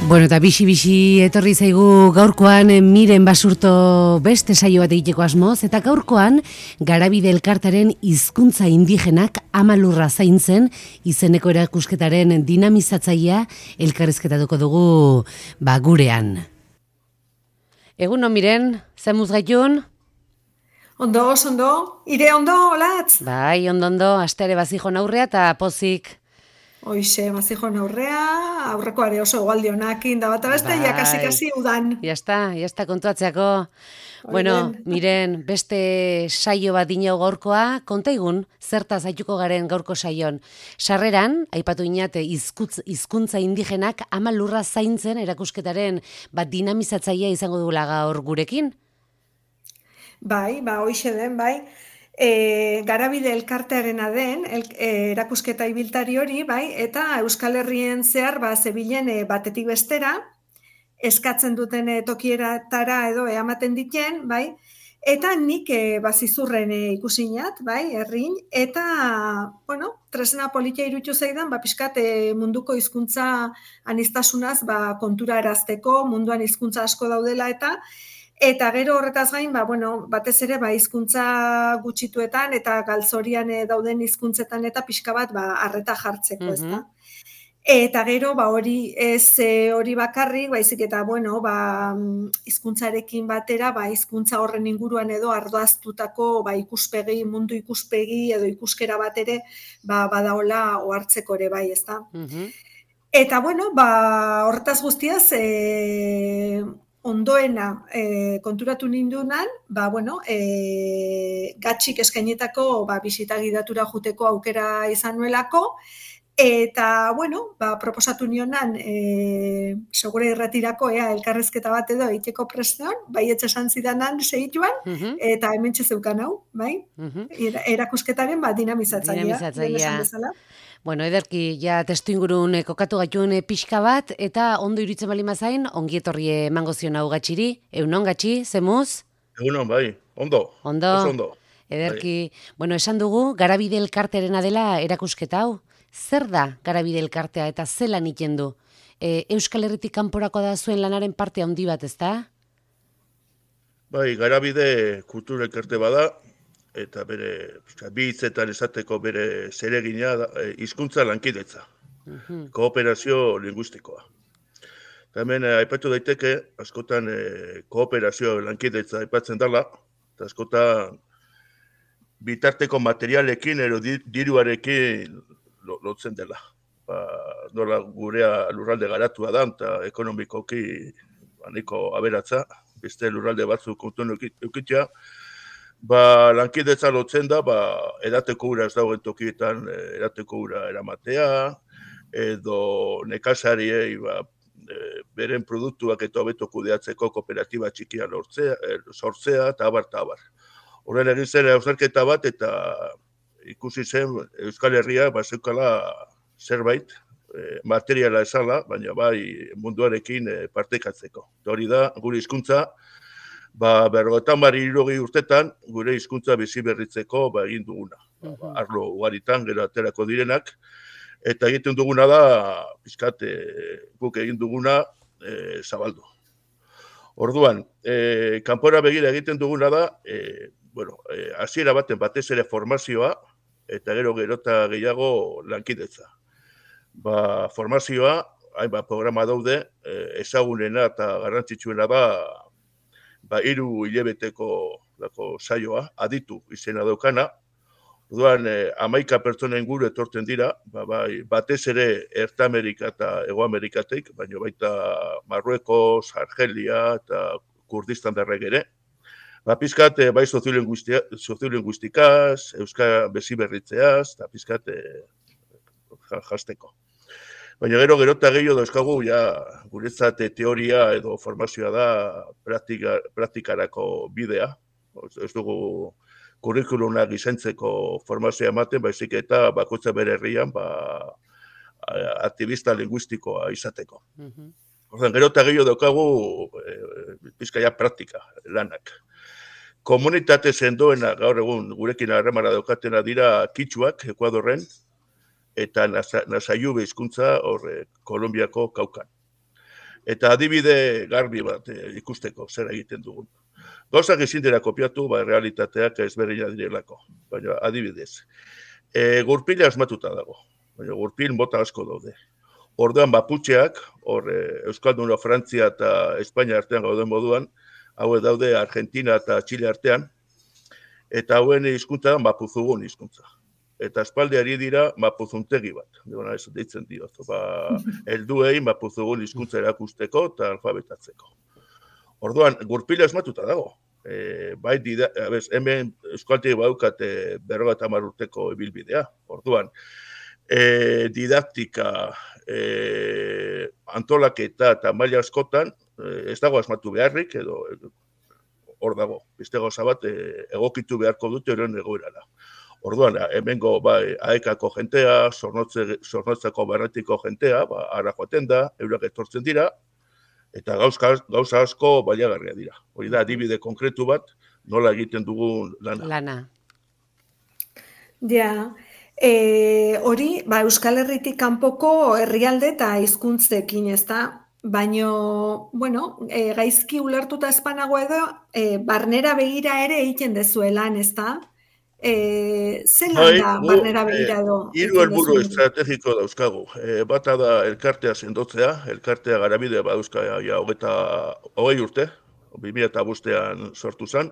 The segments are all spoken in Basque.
Bueno, eta bixi etorri zaigu gaurkoan Miren Basurto beste saio bat egiteko asmoz, eta gaurkoan Garabide elkartaren hizkuntza indigenak amalurra zaintzen izeneko erakusketaren dinamizatzailea elkarrizketatuko dugu gurean. Egunon Miren, zemuz gaitun? Ondo, ire ondo, olatz? Bai, ondo, asteare bazijon aurrea eta pozik. Hoize, bazijon aurrekoare oso egualdionakin da bat abeste, jakasi udan. Jasta kontuatzeako. Bueno, Miren, beste saio bat dinau gaurkoa, kontaigun, zertaz aituko garen gaurko saion. Sarreran, aipatu inate, hizkuntza indigenak ama lurra zaintzen erakusketaren dinamizatzailea izango dugula gaur gurekin? Bai, hoize den, bai. Garabide elkartearena den, erakusketa ibiltari hori, bai, eta Euskal Herrien zehar, zebilen batetik bestera, eskatzen duten tokieratara edo eamaten diken, bai, eta nik bazizurren ikusinat, bai, herrin, eta, bueno, tresna politia irutu zaidan, pixkat munduko hizkuntza anistasunaz, kontura erazteko, munduan hizkuntza asko daudela eta gero horretaz gain, batez ere hizkuntza gutxituetan eta galtzorian dauden hizkuntzetan eta pixka bat arreta jartzeko, ezta. Eta gero hori ez hori bakarrik, baizik eta hizkuntzarekin batera, hizkuntza horren inguruan edo ardoaztutako ikuspegi, mundu ikuspegi edo ikuskera bat ere badaola ohartzeko ere bai, ezta. Eta horretaz guztiaz ondoena konturatu nindunan, gatxik eskainetako bisita gidatura juteko aukera izan nuelako, eta, proposatu nionan, segure irretirako, elkarrezketa bat edo egiteko prestean, baietz esan zidanan segituan, eta hementxe zeukan hau, bai? Erakusketaren dinamizatzailea. Bueno, ederki, testu ingurun kokatu gaituen pixka bat, eta ondo iruditzen bali mazain, ongi etorri emango zion hau gatxiri. Egunon, gatxi, zemuz? Egunon, bai, ondo. Ondo. Ederki, esan dugu, Garabide elkartearena dela erakusketa hau. Zer da Garabide elkartea eta zelan iten du? Euskal Herritik kanporako da zuen lanaren parte handi bat, ezta? Bai, Garabide kultura elkarte bada, eta bere bi hitzetan esateko bere zeregina hizkuntza lankidetza, kooperazio linguistikoa. Eta hemen aipatu daiteke, askotan kooperazio lankidetza aipatzen dela, eta askotan bitarteko materialekin edo diruarekin lotzen dela. Nola gurea lurralde garatua da, eta ekonomikoki nahiko aberatza, beste lurralde batzuk kontuen eukitzea, lankidetza lotzen da, edateko ura ez dagoen tokietan edateko ura eramatea, edo nekazariei beren produktuak eta hobeto kudeatzeko kooperatiba txikia sortzea, eta abar. Horren egin zen hausnarketa bat, eta ikusi zen Euskal Herria zeukala zerbait, materiala esala, baina munduarekin partekatzeko. Hori da, gure hizkuntza, 50 urtetan gure hizkuntza bizi berritzeko egin duguna. Arlo ugaritan gero aterako direnak, eta egiten duguna da, pixkat guk egin duguna zabaldu. Orduan, kanpora begira egiten duguna da, hasiera baten batez ere formazioa, eta gerota gehiago lankidetza. Formazioa, hainbat programa daude, ezagunena eta garrantzitsuena da, 3 hilabeteko saioa, aditu izena daukana. Orduan, 11 pertsona inguru etortzen dira, batez ere Erta Amerika eta Hego Amerikatik, baina baita Marruekos, Argelia eta Kurdistan darrek ere. Pizkat, soziolinguistikaz, euskara bizi berritzeaz, eta pizkat jasteko. Baina gerota gehiago dauzkagu, guretzat teoria edo formazioa da praktikarako bidea. Ez dugu kurrikulunak izentzeko formazioa ematen, baizik eta bakoitza bere herrian aktivista linguistikoa izateko. Gerota gehiago daukagu pizkaia praktika lanak. Komunitate sendoena gaur egun gurekin harremana daukatena dira kitxuak Ekuadorren, eta Nasaiube hizkuntza Kolonbiako Kaukan. eta adibide garbi bat ikusteko zer egiten dugun. Gauzak ezin dira kopiatu, realitateak ezberdina direlako, baina adibidez. Gurpila asmatuta dago, baina gurpil mota asko daude. Orduan baputxeak, Euskalduna, Frantzia eta Espainia artean gauden moduan, hauek daude Argentina eta Txile artean, eta hauen hizkuntza mapuzugun hizkuntza. Eta espaldiari dira mapuzuntegi bat, ez deitzen diot, helduei mapuzugun hizkuntza erakusteko eta alfabetatzeko. Orduan, gurpila asmatuta dago. Hemen euskaltegi baukate 50 urteko ibilbidea. Orduan, didaktika, antolaketa eta maila askotan, ez dago asmatu beharrik, edo hor dago. Beste gauza bat egokitu beharko dute horren egoerara. Orduan, hemengo aekako jentea, Zornotzako barretiko jentea, ara joaten da, eurak etortzen dira, eta gauza asko baliagarria dira. Hori da, adibide konkretu bat, nola egiten dugun lana. Ja, hori, Euskal Herritik kanpoko herrialde eta hizkuntzekin, ez da? Baina, gaizki ulertuta espanago edo, barnera begira ere egiten dezuelan, ez da? Zelan da barnera begira edo? Hiru helburu estrategiko dauzkagu. Bata da elkartea sendotzea, elkartea Garabide badauzka 20 urte, 2005an sortu zen,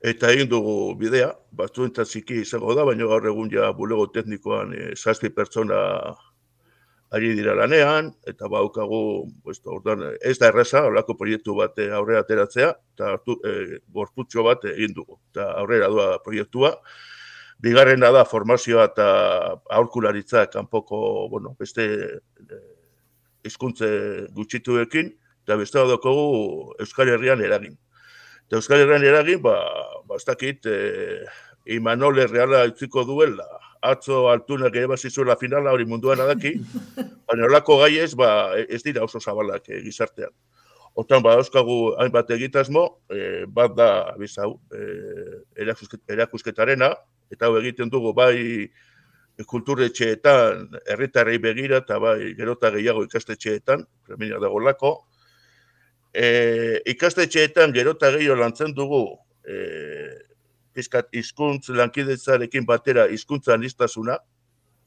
eta egin dugu bidea, batzuentzat ziki izango da, baina gaur egun bulego teknikoan 7 pertsona ari dira lanean, eta baukagu, ez da erraza, horrelako proiektu bat aurrera ateratzea, eta gorputxo bat egin dugu, eta aurrera doa proiektua. Bigarrena da formazioa eta aholkularitza kanpoko, beste hizkuntze gutxituekin, eta beste daukagu Euskal Herrian eragin. Eta Euskal Herrian eragin, ez dakit, Imanol Erreala utziko duela, atzo altunak ere bazizuela finala hori munduan adaki, baina horlako gaiez ez dira oso zabalak gizartean. Hortan badauzkagu hainbat egitasmo, bat da erakusketarena, eta hau egiten dugu bai kulturetxeetan, herritarrei begira, eta bai gerota gehiago ikastetxeetan, premia dagolako. Ikastetxeetan gerota gehiago lantzen dugu, hizkuntz lankidetzarekin batera hizkuntza aniztasuna.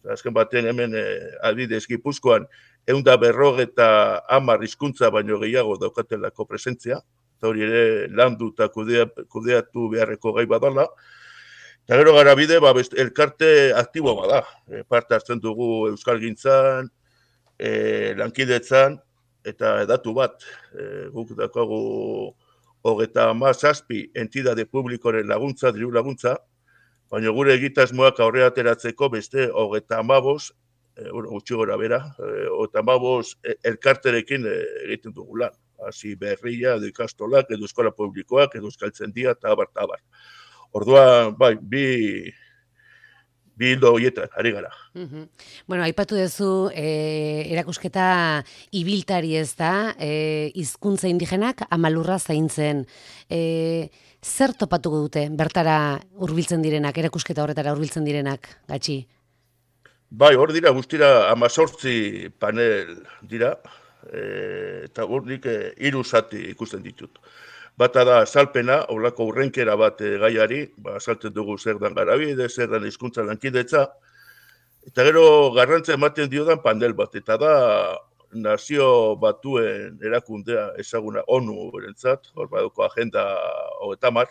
Azken batean hemen adibidez Gipuzkoan 150 hizkuntza baino gehiago daukatelako presentzia. Eta hori ere landu eta kudeatu beharreko gai badala. Eta gero Garabide elkarte aktibo bada. Parte hartzen dugu euskalgintzan, lankidetzan, eta datu bat. Guk daukagu 37 entidade publikoren laguntza, diru laguntza, baina gure egitasmoak aurrera ateratzeko beste 35, gutxi gora bera, 35 elkarterekin egiten dugu lan. Hasi Berria, edo ikastolak, edo eskola publikoak, edo euskaltzendia, eta abar. Orduan, bi hildo horietan, ari gara. Aipatu duzu erakusketa ibiltari ez da, hizkuntza indigenak amalurra zaintzen. Zer topatuko dute bertara hurbiltzen direnak, erakusketa horretara hurbiltzen direnak, Gatxi? Hor dira guztira 18 panel dira, eta hor nik 3 zati ikusten ditut. Bata da azalpena, holako urrenkera bat gaiari, azaltzen dugu zer dan Garabide, zer dan hizkuntza lankidetza, eta gero garrantzia ematen diodan panel bat, eta da Nazio Batuen erakundea ezaguna ONU berentzat, hor baduko agenda 30,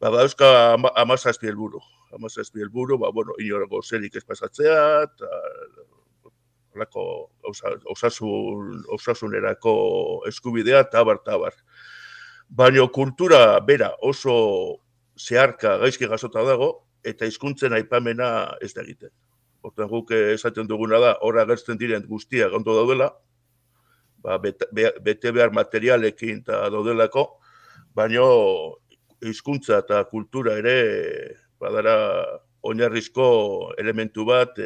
badauzka 17 helburu. 17 helburu, inor zerik ez pasatzea, holako osasunerako eskubidea, eta abar. Baina kultura bera oso zeharka gaizki jasota dago, eta hizkuntzen aipamena ez da egiten. Hortan guk esaten duguna da, hor agertzen diren guztiak ondo daudela, bete behar materialekin eta daudelako, baina hizkuntza eta kultura ere badara oinarrizko elementu bat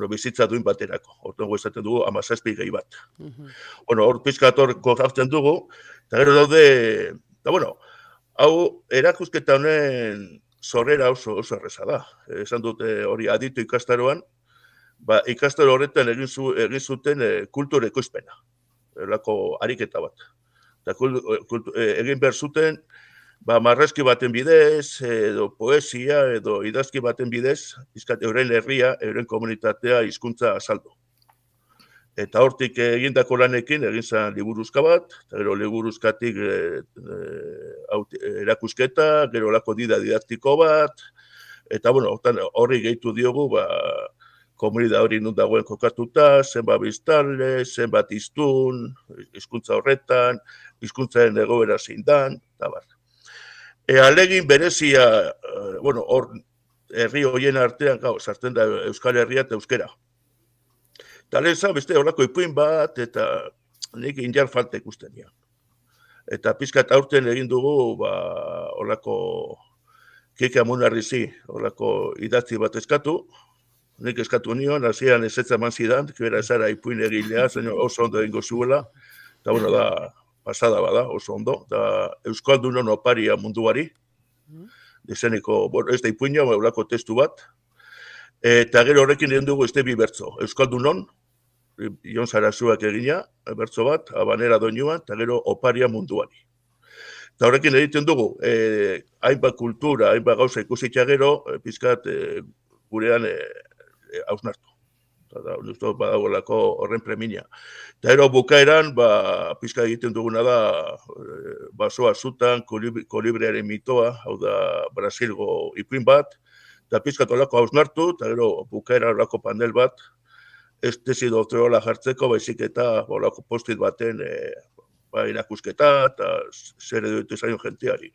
bizitza duin baterako. Hortan guk esaten dugu 17 gehi bat. Hor pizkatorko jartzen dugu, eta gero daude, hau erakusketa honen zorrera oso erreza da. Esan dute hori aditu ikastaroan, ikastaro horretan egin zuten kultur ekoizpena. elako ariketa bat. Eta egin behar zuten, marrazki baten bidez, edo poesia, edo idazki baten bidez, euren herria, euren komunitatea hizkuntza azaldu. Eta hortik egindako lanekin, egin zen liburuzka bat, eta gero liburuzkatik erakusketa, gero lako didaktiko bat, eta horri gehitu diogu, komunidad hori nun dagoen kokatuta, zenbat biztanle, zenbat hiztun, hizkuntza horretan, hizkuntzaren egoera zein dan, eta bar. Alegin berezia, hor herri horien artean, sartzen da Euskal Herria eta Euskera. Eta lehen zan, beste horako ipuin bat, eta nik indiar falta ikusten nian. Eta pizkat aurten egin dugu, horako Keke Amunarrizi, horako idatzi bat eskatu, nik eskatu nion, hasieran ezetza eman zidan, kibera ezara ipuin egilea, oso ondo egingo zuela, eta da, pasada bada, oso ondo, da Euskaldunon oparia munduari, dezeniko, ez da ipuina, horako testu bat, eta gero horrekin egin dugu este bi bertzo, Euskaldunon, Ion Sarazuak egina, bertzo bat, Habanera doinuan, eta gero oparia munduari. Eta horrekin egiten dugu, hainbat kultura, hainbat gauza ikusitza gero, pizkat gurean hausnartu. Eta badagolako horren preminia. Eta ero bukaeran, pizka egiten duguna da, basoa zutan, kolibriaren mitoa, hau da Brasilgo ipuin bat, eta pizkat olako hausnartu, eta gero bukaera olako panel bat, ez tesi doktoreola jartzeko, baizik eta olako postit baten irakusketa, eta zer edo zaion jenteari.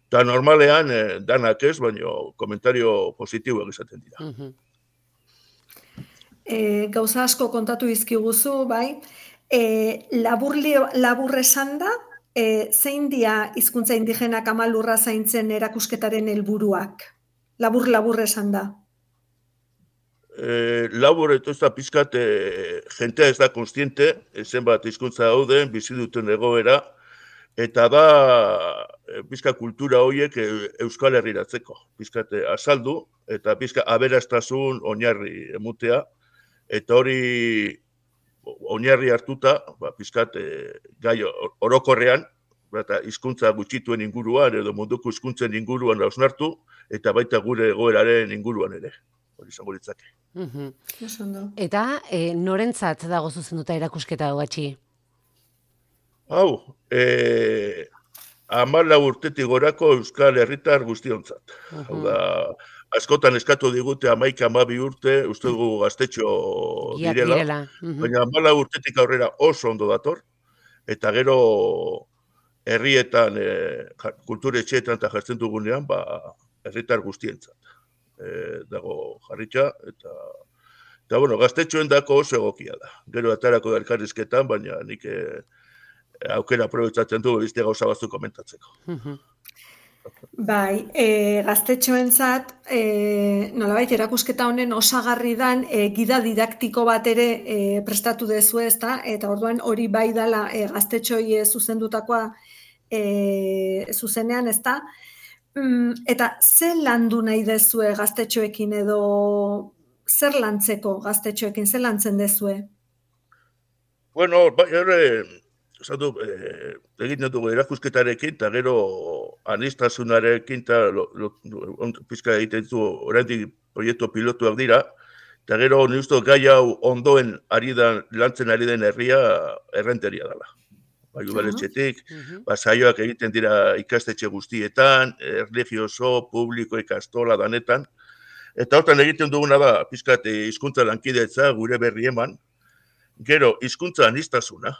Eta normalean, danak ez, baina komentario positiboak izaten dira. Gauza asko kontatu izkiguzu, bai. Labur esan da, zein dia hizkuntza indigenak amalurra zaintzen erakusketaren helburuak? Labur esan da. Labur ez da pizkat, jentea ez da konstiente, zenbat hizkuntza dauden, bizi duten egoera, eta da pizka kultura horiek Euskal Herriratzeko. Pizkat azaldu, eta pizka aberastasun oinarri emutea, eta hori oinarri hartuta, pizkat gai orokorrean, eta hizkuntza gutxituen inguruan, edo munduko hizkuntzen inguruan hausnartu, eta baita gure egoeraren inguruan ere. Hori izango litzake. Eta norentzat dago zuzenduta erakusketa Patxi? Hau, 14 urtetik gorako Euskal Herritar guztiontzat. Hau da, askotan eskatu digute 11-12 urte, uste dugu gaztetxo direla. Baina 14 urtetik aurrera oso ondo dator, eta gero herrietan, kulturetxeetan eta jartzen dugunean, herritar guztientzat. Dago jarritxa, eta gaztetxoen dako oso egokia da. Gero atarako da elkarrizketan, baina nik aukera aprobetzatzen du beste gauza batzuk komentatzeko. Bai, gaztetxoentzat, nolabait erakusketa honen osagarri dan gida didaktiko bat ere prestatu dezu, ezta? Eta orduan hori bai dala gaztetxoi zuzendutakoa zuzenean, ezta? Eta zer landu nahi dezue gaztetxoekin edo zer lantzeko gaztetxoekin, zer lantzen dezue? Bueno, egiten dugu erakusketarekin, eta gero anistasunarekin, eta pizka egiten du, oraindik proiektu pilotuak dira, eta gero niuzto gai hau ondoen lantzen ari den herria errenteria dela. Udaletxetik, saioak egiten dira ikastetxe guztietan, erlijioso, publiko, ikastola, danetan, eta hortan egiten duguna da, pizkat hizkuntza lankidetza gure berri eman, gero hizkuntza aniztasuna,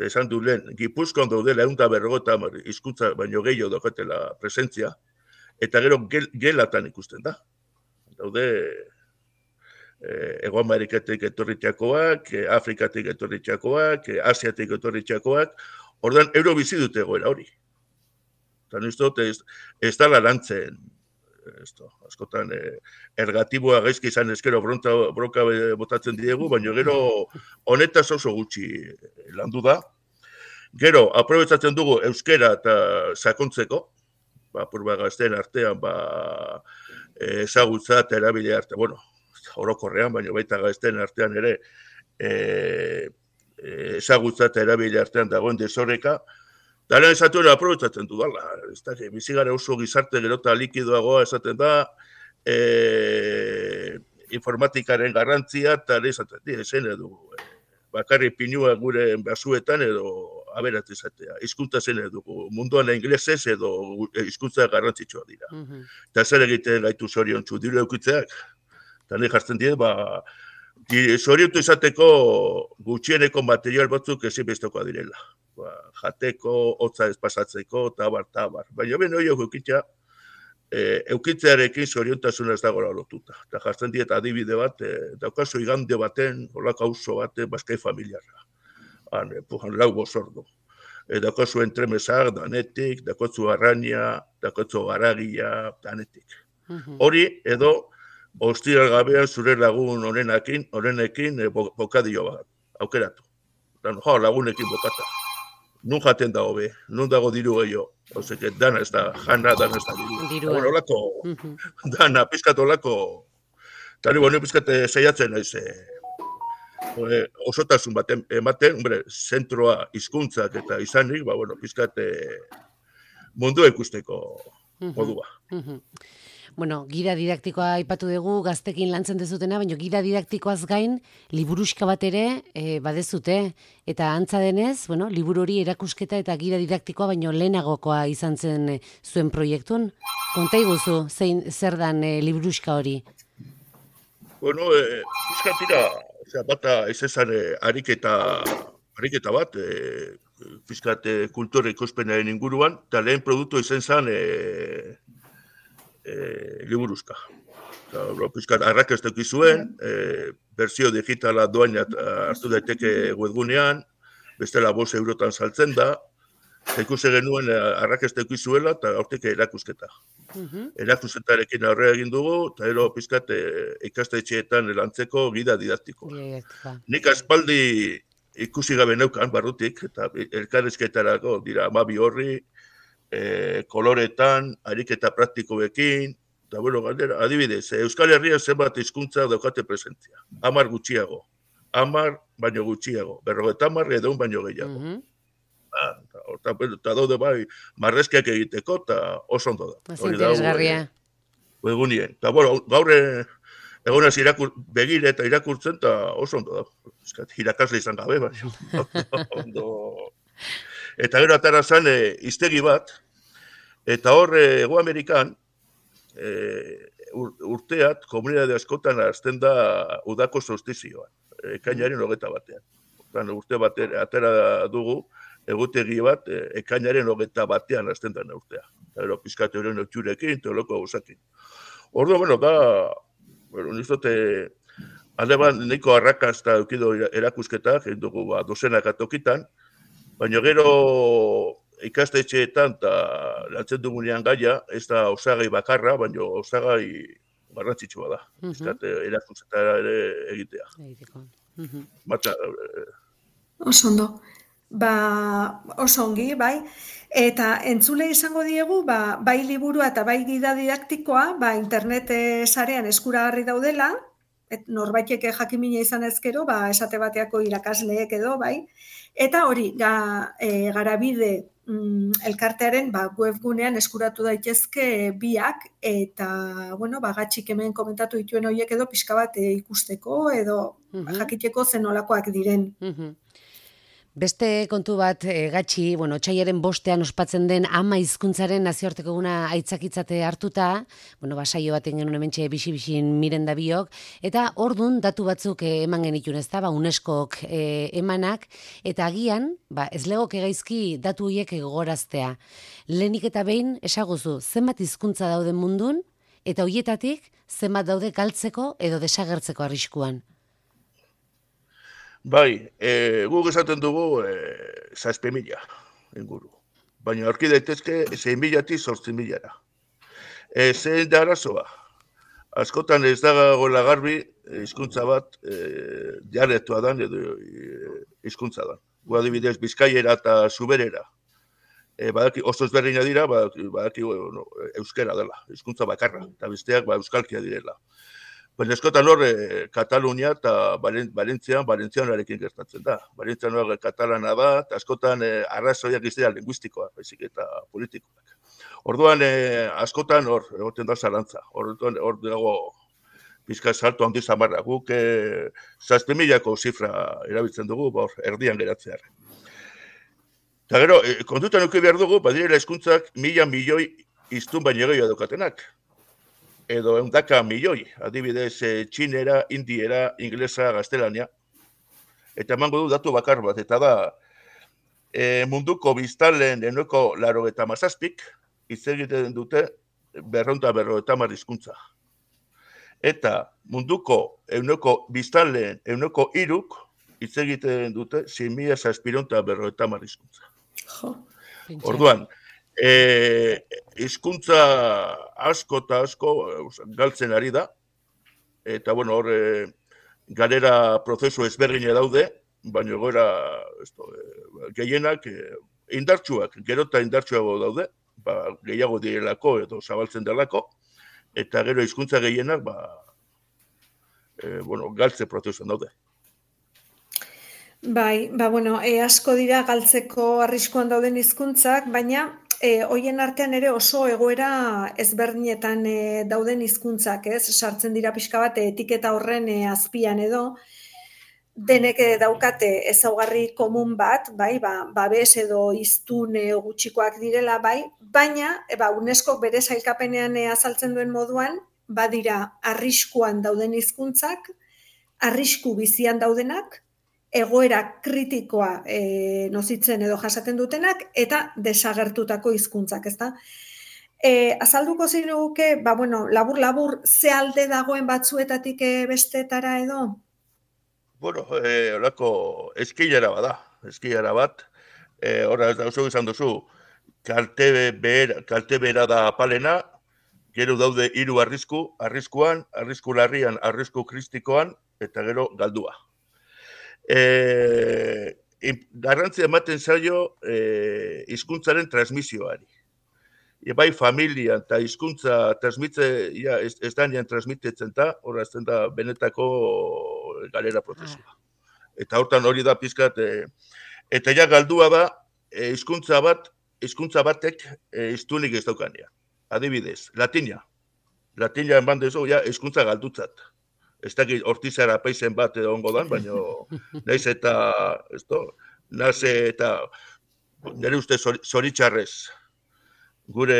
esan du lehen, Gipuzkoan daudela 150 hizkuntza baino gehiago daukatela presentzia, eta gero gelatan ikusten da. Daude Hego Amerikatik etorritxakoak, Afrikatik etorritxakoak, Asiatik etorritxakoak, ordan euro bizi dute egoera hori. Eta niztot ez da lantzen, askotan ergatiboa gaizki izan ezkero bronka botatzen diegu, baina gero honetaz oso gutxi landu da. Gero, aprobetzatzen dugu euskera eta sakontzeko, purba gazteen artean, ezagutza eta erabile arte, orokorrean, baina baita gazteen artean ere, ezagutza eta erabile artean dagoen desoreka, eta lehen esatuen aprobetsatzen dudala. Bizigara oso gizarte gero eta likidoagoa esaten da, informatikaren garrantzia, eta esaten zen edo, bakarri pinua gure basuetan edo aberat izatea. Hizkuntza zen dugu, munduan inglesez edo hizkuntza garrantzitsua dira. Eta zer egiten gaitu zoriontsu, diru eukitzeak. Eta nahi jartzen dira, zoriontu izateko gutxieneko material batzuk ezinbestekoa direla. Jateko, hotza ez pasatzeko, tabar. Baina ben hori eukitza, eukitzearekin zoriontasuna ez dagoela lotuta. Eta jartzen diet adibide bat, daukazu igande baten, holako auzo baten, Baskai familiarra. Lau bozordo. Daukazu entremesak, danetik, daukatzu arraina, daukatzu garagia, danetik. Hori, edo, ostiral gabean zure lagun honenekin bokadio bat, aukeratu. Lagunekin bokata. Nun jaten dago be, nun dago diru gehiago. Oseke, dana ez da, dana ez da diru. Bueno, olako, dana, pizkat olako, eta nire pizkat saiatzen naiz, osotasun bat ematen, zentroa hizkuntzak eta izanik, pizkat mundua ikusteko modua. Bueno, gida didaktikoa aipatu dugu, gaztekin lantzen dezutena, baina gida didaktikoaz gain, liburuxka bat ere badezute. Eta antza denez, liburu hori erakusketa eta gida didaktikoa, baina lehenagokoa izan zen zuen proiektun. Konta iguzu, zer dan liburuxka hori? Bueno, fiskatira, bata ez ezan ariketa bat, fiskat kultura ikuspenaren inguruan, eta lehen produktu izan zen liburuzka. Piskat arrakastek izuen, berzio digitala doain hartu daiteke webgunean, bestela 5 eurotan saltzen da, ikusi genuen arrakastek izuela eta aurteke erakusketa. Erakusketarekin aurrera egin dugu, eta ero piskat ikastetxeetan lantzeko gida didaktiko. Nik aspaldi ikusi gabe neukan barrutik, eta elkarrizketarako dira 12 horri, koloretan, ariketa praktikoekin, eta galdera, adibidez, Euskal Herrian zenbat hizkuntza daukate presentzia. 10 gutxiago, 10 baino gutxiago, 50 edo baino gehiago. Eta daude marrezkiak egiteko, eta oso ondo da. Interesgarria. Egunien. Eta gaur egonaz begire eta irakurtzen, eta oso ondo da. Irakasle izan gabe, Eta gero atara zen hiztegi bat, eta hor Hego Amerikan urteat komunitate askotan hasten da udako solstizioan, ekainaren 21. Urte bat atera dugu, egutegi bat, ekainaren 21 hasten da urtea. Eta pizkate horien otxurekin, teoloko gauzakin. Ordu, nizote, alde bat nahiko arrakasta eukido erakusketak, egin dugu dozenak atokitan, baina gero ikastetxeetan eta lantzen dugunean gaia, ez da osagai bakarra, baina osagai garrantzitsua da. Erakustetara ere egitea. Oso ondo. Oso ongi, bai. Eta entzule izango diegu, bai liburua eta bai gida didaktikoa, internet sarean eskuragarri daudela, norbaitek jakimina izan ezkero, esate bateako irakasleek edo, bai. Eta hori, Garabide elkartearen webgunean eskuratu daitezke biak, eta, gatxik hemen komentatu dituen horiek edo pixka bat ikusteko, edo jakiteko zenolakoak diren. Beste kontu bat, Gatxi, otsailaren 5 ospatzen den ama hizkuntzaren nazioarteko eguna aitzakitzate hartuta, saio baten genuen hementxe bixi-bixin miren da biok, eta ordun datu batzuk eman genitun ez da, UNESCOk emanak, eta agian, ez legoke gaizki datu horiek gogoraztea. Lehenik eta behin, esaguzu, zenbat hizkuntza dauden mundun, eta horietatik zenbat daude galtzeko edo desagertzeko arriskuan. Bai, guk esaten dugu 6.000 inguru. Baina aurki daitezke 6.000-tik 8.000-ra. Zein da arazoa? Askotan ez dagoela garbi hizkuntza bat dialektoa dan edo hizkuntza dan. Gu adibidez Bizkaiera eta Zuberera. Oso ezberdina dira, badaki euskera dela, hizkuntza bakarra, eta besteak euskalkia direla. Baina eskotan hor, Katalunia eta Valentzianoarekin gertatzen da. Valentzianoa katalana da, eta askotan arrazoiak iztea linguistikoa, baizik eta politikoak. Orduan, askotan hor, egoten da zalantza. Hor dago pizka salto handi zamarra. Guk 7.000ko zifra erabiltzen dugu, erdian geratzear. Eta gero, kontutan eduki behar dugu, badirela hizkuntzak 1.000 milioi hiztun baino gehiago daukatenak. Edo 100 milioi, adibidez txinera, indiera, inglesa, gaztelania. Eta emango du datu bakar bat, eta da munduko biztanleen 97%, hitz egiten dute 250 hizkuntza. Eta munduko biztanleen 3%, hitz egiten dute 6.750 hizkuntza. Orduan, hizkuntza asko eta asko galtzen ari da, eta bueno, hor galera prozesu ezberdina daude, baina goera gehienak indartsuak, gero eta indartsuago daude, gehiago direlako edo zabaltzen delako, eta gero hizkuntza gehienak galtze prozesuan daude. Bai, bueno, asko dira galtzeko arriskuan dauden hizkuntzak, baina hoien artean ere oso egoera ezberdinetan dauden hizkuntzak, ez? Sartzen dira pixka bat etiketa horren azpian edo, denek daukate ezaugarri komun bat, bai, babes edo hiztun gutxikoak direla, bai, baina UNESCO bere sailkapenean azaltzen duen moduan, badira arriskuan dauden hizkuntzak, arrisku bizian daudenak, egoera kritikoa nozitzen edo jasaten dutenak, eta desagertutako hizkuntzak, ezta? Azalduko zinuke, labur-labur, ze alde dagoen batzuetatik bestetara edo? Bueno, horako eskilera bat, horra ez da oso izan duzu, kalte bera da apalena, gero daude 3 arriskuan, arrisku larrian, arrisku kristikoan, eta gero galdua. Garrantzia ematen zaio hizkuntzaren transmisioari. Bai familia eta hizkuntza ez danean transmitetzen da, horra ezten da benetako galera prozesua. Eta hortan hori da pizkat, eta ja galdua da hizkuntza batek hiztunik ez daukanean. Adibidez, latina eman dezu, hizkuntza galdutzat. Ez dakit hortizara paizen bat edo ongo dan, baina naiz eta nire uste zoritxarrez. Gure,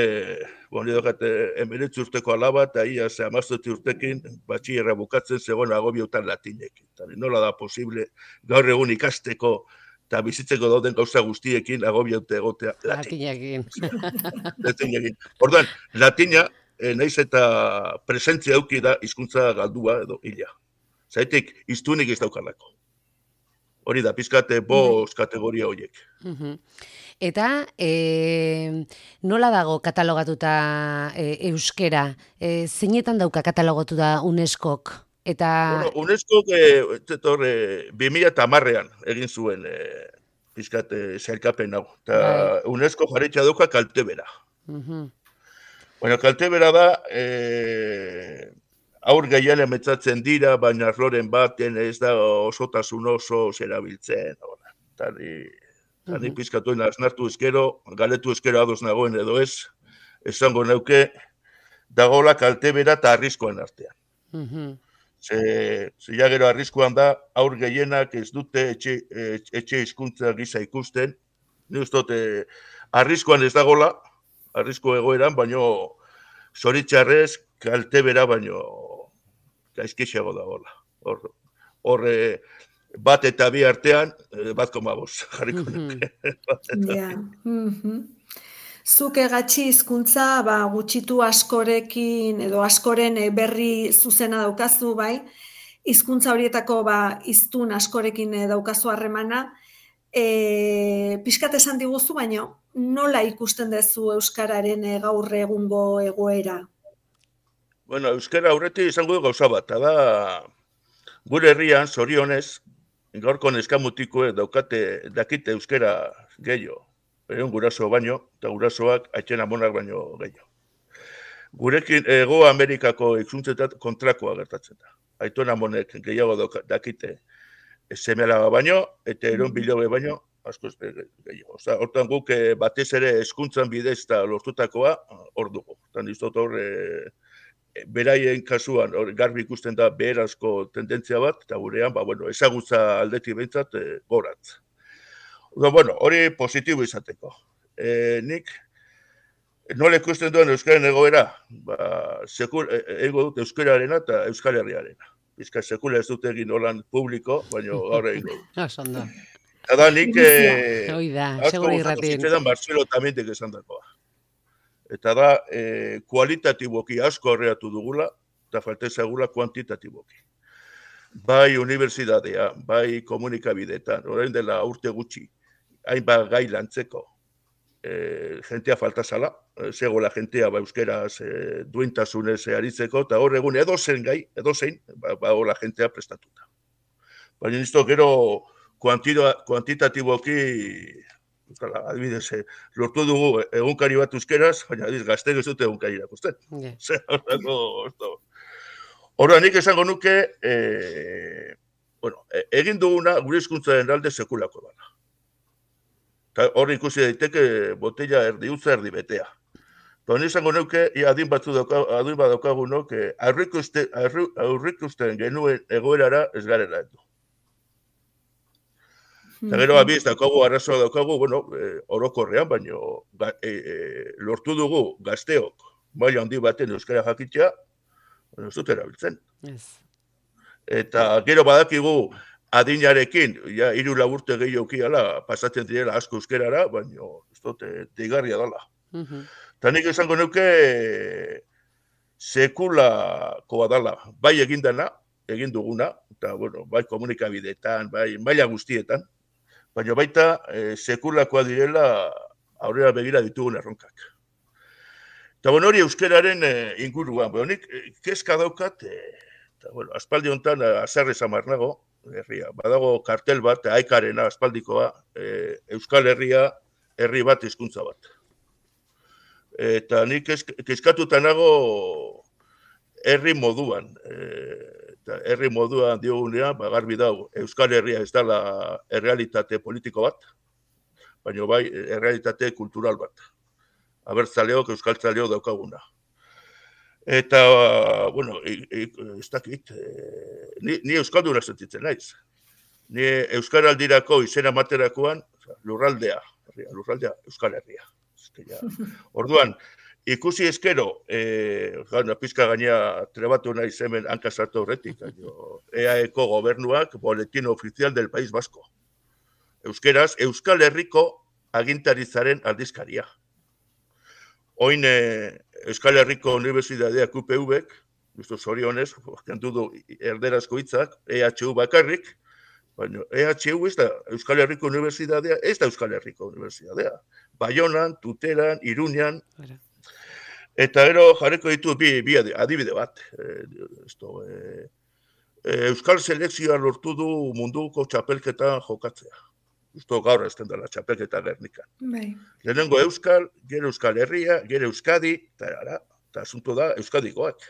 nire dokat, 19 urteko alaba, eta ia 17 urtekin, batxillerra bukatzen zegoen agobiotan latinekin. Nola da posible gaur egun ikasteko eta bizitzeko dauden gauza guztiekin agobiote egotea latinekin. Orduan, latina, naiz eta presentzia auki da hizkuntza galdua edo hila. Zaitik, hiztunik ez daukalako. Hori da, pizkate 5 kategoria horiek. Eta nola dago katalogatuta euskera? Zeinetan dauka katalogatuta UNESCOk? UNESCOk 2010an egin zuen pizkate zailkapen hau. Eta UNESCO jarritxa dauka kaltebera. Kaltebera da, aur gehien emetzatzen dira, baina arloren baten ez da osotasun oso zerabiltzen. Tani pizkatuen aznartu ezkero, galetu ezkero ados nagoen edo ez, esango neuke, dagoela kaltebera eta arriskuan artean. Zila gero arriskuan da, aur gehienak ez dute etxe hizkuntza gisa ikusten, ni ustot arriskuan ez dagoela, arrisku egoeran, baino zoritxarrez kaltebera baino gaizkixiago dagoela. Hor bat eta bi artean, 1,5 jarriko nuke. Zuk egatxi hizkuntza gutxitu askorekin edo askoren berri zuzena daukazu, bai? Hizkuntza horietako hiztun askorekin daukazu harremana. Pixkat esan diguzu, baina nola ikusten duzu euskararen gaur egungo egoera? Euskara aurretik izango du gauza bat, da gure herrian, zorionez, gaurko neskamutikoek dakite euskara gehiago. Guraso baino, eta gurasoak atxen amonak baino gehiago. Gurekin Hego Amerikako itzultzetat kontrakoa gertatzen da. Aiton Amonek gehiago dakite seme-alaba baino, eta Eron Bilobe baino, askoz gehiago. Osa, hortan guk batez ere hezkuntzan bidez eta lortutakoa hor dugu. Tan iztot hor, beraien kasuan garbi ikusten da beherazko tendentzia bat, eta gurean, ezagutza aldetik behintzat goratz. Hori positibo izateko. Nik, nola ikusten duen Euskaren egoera, ego dut Euskararena eta Euskal Herriarena. Bizka sekula ez dut egin holan publiko, baina gaur egin dut. Osondo. Eta nik, asko gustatu zitzaidan Marcelo Tamentek esan dakoa. Eta da, kualitatiboki asko horreatu dugula, eta falta ezagula kuantitatiboki. Bai unibertsitatea, bai komunikabideetan, orain dela urte gutxi, hainbat gai lantzeko, jentea falta zala, zegoela jentea euskeraz duintasunez aritzeko, eta hor egun edozein, hola jentea prestatuta. Baina nizto gero kuantitatiboki, adibidez, lortu dugu egunkari bat euskeraz, baina gaztek ez dute egunkari irakusten. Horra nik esango nuke, egin duguna gure hizkuntzaren alde sekulako dela. Hor ikusi daiteke botella erdi utza erdi betea. Honi esango nuke, adin badaukagunok, aurrikusten genuen egoerara ez garela edo. Eta gero abiz daukagu, arrazoa daukagu, orokorrean, baina lortu dugu gazteok maila handi baten euskara jakitea, ez dut erabiltzen. Eta gero badakigu adinarekin, 3 urte gehiokiala pasatzen direla asko euskerara, baina ez dut deigarria dela. Eta nik esango nuke sekulakoa dela, bai egin duguna, eta bai komunikabideetan, bai maila guztietan, baina baita sekulakoa direla aurrera begira ditugun erronkak. Eta hori euskeraren inguruan, nik kezka daukat, aspaldi honetan azarrez amarnago, badago kartel bat, aikarena aspaldikoa, Euskal Herria, herri bat hizkuntza bat. Eta nik kezkatuta nago herri moduan. Eta herri moduan diogunean, garbi dago, Euskal Herria ez dela errealitate politiko bat, baina bai errealitate kultural bat. Abertzaleok, euskaltzaleok daukaguna. Eta, ez dakit, ni euskalduna sentitzen naiz. Ni euskaraldirako izena materakoan lurraldea, Euskal Herria. Orduan, ikusi eskero, pizka gaina trebatu naiz hemen hankasartu horretik, EAeko gobernuak boletín oficial del País Vasco. Euskeraz, Euskal Herriko agintarizaren aldizkaria. Oin Euskal Herriko Unibertsitateak UPV-ek, zorionez, kentu du erderazko hitzak, EHU bakarrik, baina EHU ez da Euskal Herriko Unibertsitatea, ez da Euskal Herriko Unibertsitatea. Baionan, Tuteran, Iruñan, eta gero jarriko ditu bi adibide bat. Euskal selekzioa lortu du munduko txapelketan jokatzea. Justo gaur ezten dela txapelketa Gernikan. Lehenengo Euskal, gero Euskal Herria, gero Euskadi, eta asunto da Euskadikoak.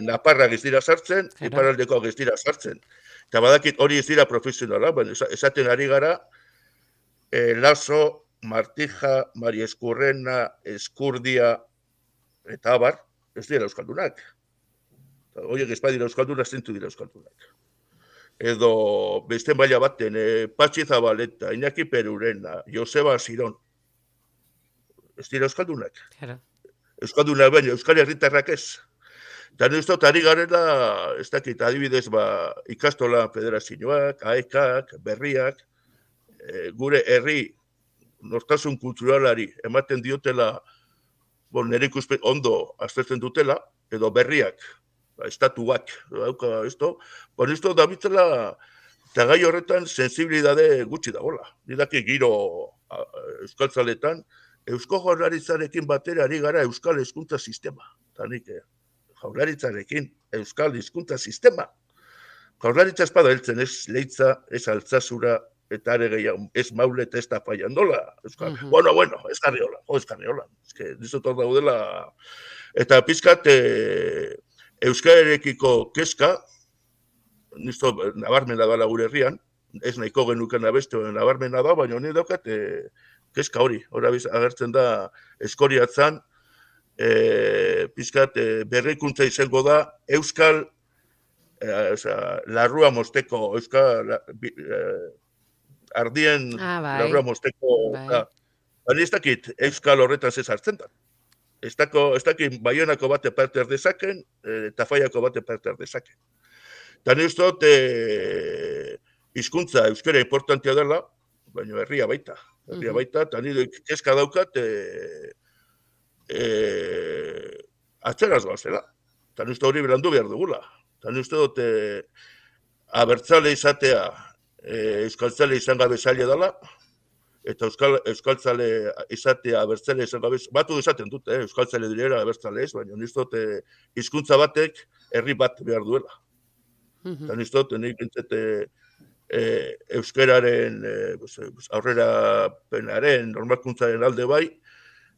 Naparrak ez dira sartzen, iparaldekoak ez dira sartzen. Eta badakit hori ez dira profesionala, baina esaten ari gara, Lazo, Martija, Mari Eskurrena, Eskurdia, eta abar, ez dira euskaldunak. Horiek ez badira euskaldunak, zentu dira euskaldunak. Edo beste maila baten, Patxi Zabaleta, Iñaki Perurena, Joseba Ziron. Ez dira euskaldunak. Euskaldunak baina, Euskal Herritarrak ez. Eta ez dut ari garela, ez dakit, adibidez, ikastola federazioak, AEKak, berriak, gure herri nortasun kulturalari ematen diotela, nire ikuspet ondo aztertzen dutela, edo berriak, estatuak, esto dabitzela, eta gai horretan sensibilidade gutxi dagoela. Nidaki giro euskaltzaletan, Eusko Jaurlaritzarekin batera ari gara Euskal Hezkuntza Sistema. Eta nik Jaurlaritzarekin Euskal Hezkuntza Sistema. Jaurlaritza espada heltzen ez Leitza, ez Altzazura, eta are gehiago, ez maule eta ez da faiandola. Bueno, ez karriola. Ez que, dizut hor daudela. Eta pizkat, euskararekiko kezka, nisto nabarmena dala gure herrian, ez nahiko genuken abeste nabarmena da, baina honi daukat kezka hori. Hora agertzen da eskoriatzan, pizkat berrikuntza izango da, euskal, larrua mosteko, euskal, ardien larrua mosteko, baina ez dakit euskal horretan zezartzen da. Ez dakit Baionako bate parte erdezaken, eta Faiako bate parte erdezaken. Eta nire dut, hizkuntza euskara importantea dela, baina herria baita, eta nire kezka daukat, atzeraz goazela. Eta nire hori berandu behar dugula. Eta nire dut, abertzale izatea, euskaltzale izan gabe zaila dela, eta euskaltzale izatea, abertzale izan gabe, batu izaten dute, euskaltzale direla, abertzale ez, baina nire dut, hizkuntza batek herri bat behar duela. Eta nire dut, nik entzete, euskararen aurrera penaren, normalkuntzaren alde bai,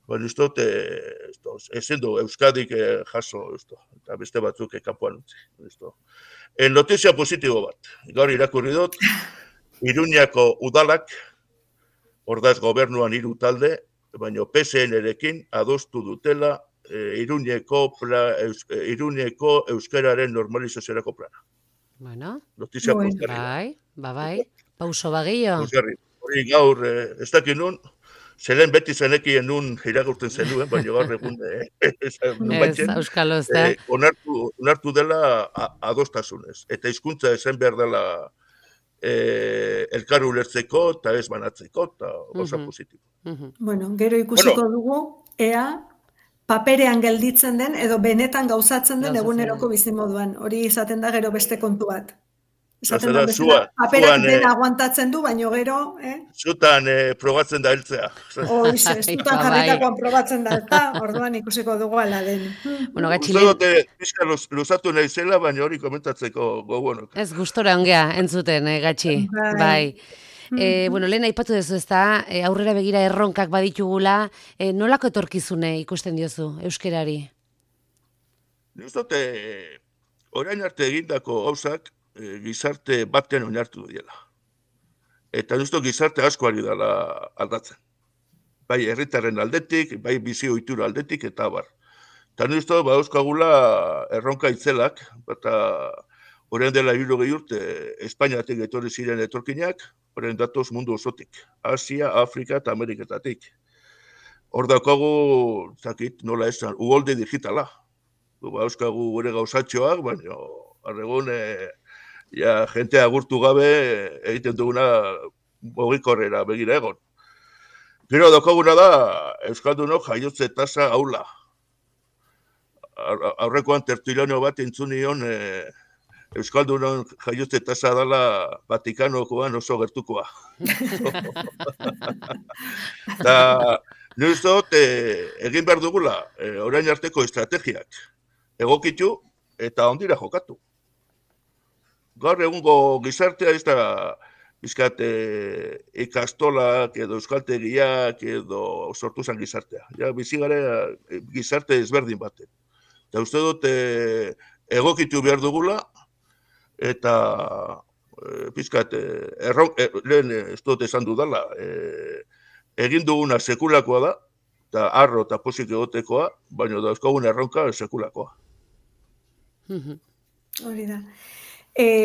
baina ez dut, ezin du Euskadik jaso, eta beste batzuk kanpoan utzi. Notizia positibo bat, gaur irakurri dut, Iruñako udalak, ordaz gobernuan 3 talde, baina PSN-erekin adostu dutela Iruñeko euskararen normalizaziorako plana. Bueno, notizia posgarri. Bai, pauso bagillo. Hori gaur, ez dakit nun, zelen beti zenekien nun iragurten zenuen, baina gaur egun Euskalo, ez da. Onartu dela adostasunez. Eta hizkuntza esan behar dela elkar ulertzeko eta ez banatzeko, eta gauza positibo. Bueno, gero ikusiko dugu, ea paperean gelditzen den, edo benetan gauzatzen den eguneroko bizimoduan. Hori izaten da gero beste kontu bat. Esaten da bezala, paperak dena aguantatzen du, baino gero... Zutan probatzen da heltzea. Hoize, zutan jarritakoan probatzen da helta, orduan ikusiko dugu ala den. Bueno, gatxile... Uste dute, pizka luzatu nahi zela, baina hori komentatzeko gogoanok. Ez gustora ongea, entzuten, gatxi. Bai. Bueno, lehen aipatu duzu ez da, aurrera begira erronkak baditugula, nolako etorkizune ikusten diozu, euskerari? Ez dute, orain arte egindako gauzak, gizarte baten oinartu diela. Eta justo gizarte asko ari dela aldatzen. Bai herritarren aldetik, bai bizi ohitura aldetik, eta bar. Eta justo euskagula erronka itzelak, eta orain dela 60 urte Espainiatik etorri ziren etorkinak, orain datoz mundu osotik. Asia, Afrika eta Ameriketatik. Hor daukagu, zakit, nola esan, uholde digitala. Euskagu gure gauzatxoak, baina arregun jente agurtu gabe egiten duguna mugikorrera begira egon. Gero daukaguna da, euskaldunok jaiotze tasa haula. Aurrekoan tertuliano bat entzunion euskaldunon jaiotze tasa dela Vatikanokoan oso gertukoa. Eta nire dut egin behar dugula orain arteko estrategiak egokitu eta ondira jokatu. Gaur egungo gizartea ez da bizkat ikastolak edo euskaltegiak edo sortu zen gizartea. Ja, bizigare gizarte ezberdin baten. Eta uste dut egokitu behar dugula eta bizkat lehen ez dut esan dudala egin duguna sekulakoa da eta arro eta pozik egotekoa, baina dauzkagun erronka sekulakoa. Hori da.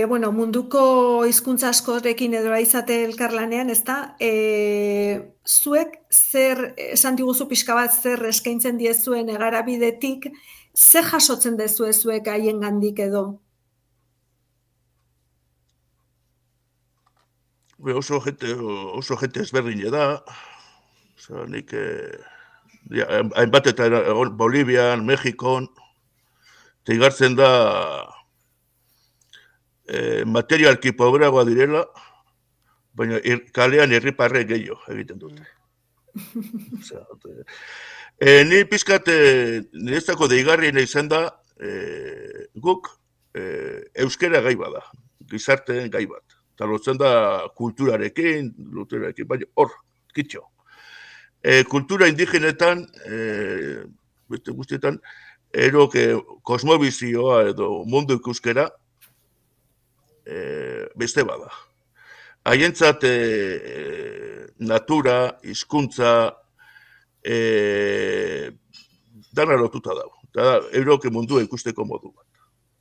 Bueno, munduko hizkuntza askorekin edo izate elkarlanean, ezta? Zuek zer esan diguzu pixka bat zer eskaintzen diezuen egarabidetik, zer jasotzen dezue zuek haiengandik edo? Oso jente ezberdin da. Nik hainbat eta Bolivian, Mexikon, igartzen da materialki pobreagoa direla, baina kalean irriparre gehiago egiten dute. Ni pizkat niretzako deigarriena izan da guk euskera gai bada, gizarteen gai bat. eta lotzen da kulturarekin, baina hor, kitxo. Kultura indigenetan, beste guztietan, kosmobizioa edo mundu ikuskera beste bada. Haientzat natura, hizkuntza, dana lotuta dago. Eta euroke mundua ikusteko modu bat.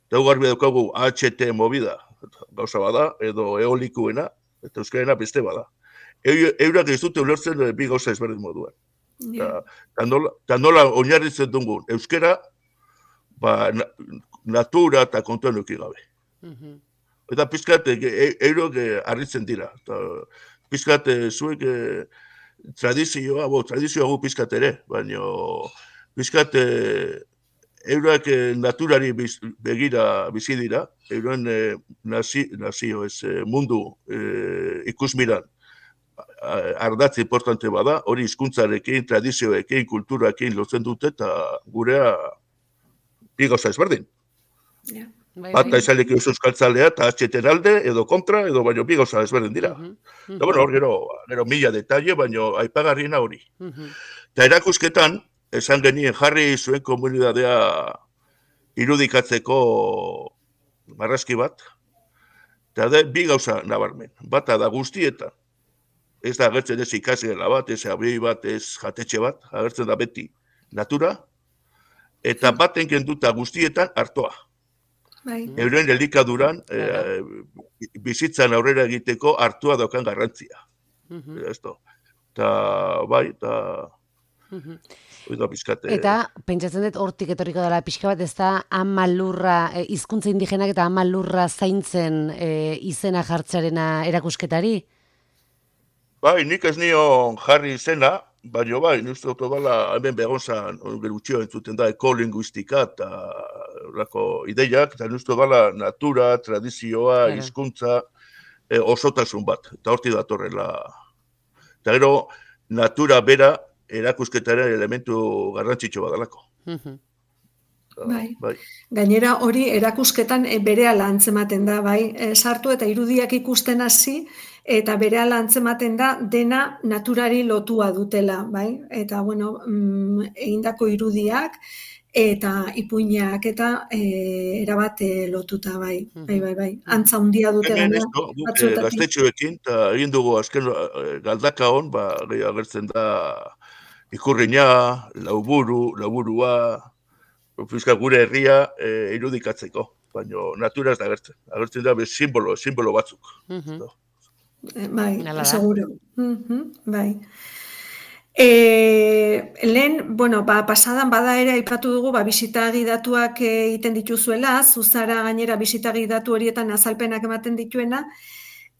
Eta garbi daukagu HT movida, gauza bada, edo eolikuena, eta euskarena beste bada. Eurak ez dute ulertzen bi gauza ezberdin moduan. Eta nola oinarritzen dugun euskara, natura eta kontuan euki gabe. Eta pizkat, eurok harritzen dira. Pizkat, zuek tradizioa gu pizkat ere, baina pizkat eurak naturari begira bizi dira, euren nazio ez mundu ikusmiran ardatz importante bada, hori hizkuntzarekin, tradizioekin, kulturarekin lotzen dute, eta gurea bi gauza ezberdin. Bata izalek euskaltzalea eta atxeten alde, edo kontra, edo baino bi gauza ezberdin dira. Eta bueno, hor gero mila detalle, baino aipagarriena hori. Eta erakusketan, esan genien jarri zuen komunidadea irudikatzeko marrazki bat, eta da bi gauza nabarmen. Bata da guztietan, ez da agertzen ez ikasgela bat, ez abioi bat, ez jatetxe bat, agertzen da beti natura, eta baten kenduta guztietan hartoa. Euren elikaduran bizitzan aurrera egiteko hartua daukan garrantzia. Eta bai, eta pentsatzen dut hortik etorriko dela pixka bat, ez da ama lurra, hizkuntza indigenak eta ama lurra zaintzen izena jartzearena erakusketari? Bai, nik ez nion jarri izena, baina bai, nuzte dut bala, hemen begonzan, gerutxio entzuten da, ekolinguistika eta ideiak, eta nuzte bala natura, tradizioa, hizkuntza, osotasun bat, eta horti datorrela. Eta gero, natura bera erakusketaren elementu garrantzitsu badalako. Bai. Gainera hori erakusketan berehala antzematen da, bai, sartu eta irudiak ikusten hasi, eta berehala antzematen da dena naturari lotua dutela, bai? Eta, bueno, egindako irudiak eta ipuinak eta erabat lotuta, bai. Bai. Antza handia dute gaina. Gaztetxoekin, eta egin dugu azken galdaka hon, agertzen da ikurrina, lauburua, Fiskal gure herria irudikatzeko, baina natura ez da agertzen. Agertzen da simbolo batzuk. Bai, seguro. Bai. Lehen, bueno, pasadan bada ere aipatu dugu, bisita gidatuak egiten dituzuela, zuzara gainera bisita gidatu horietan azalpenak ematen dituena.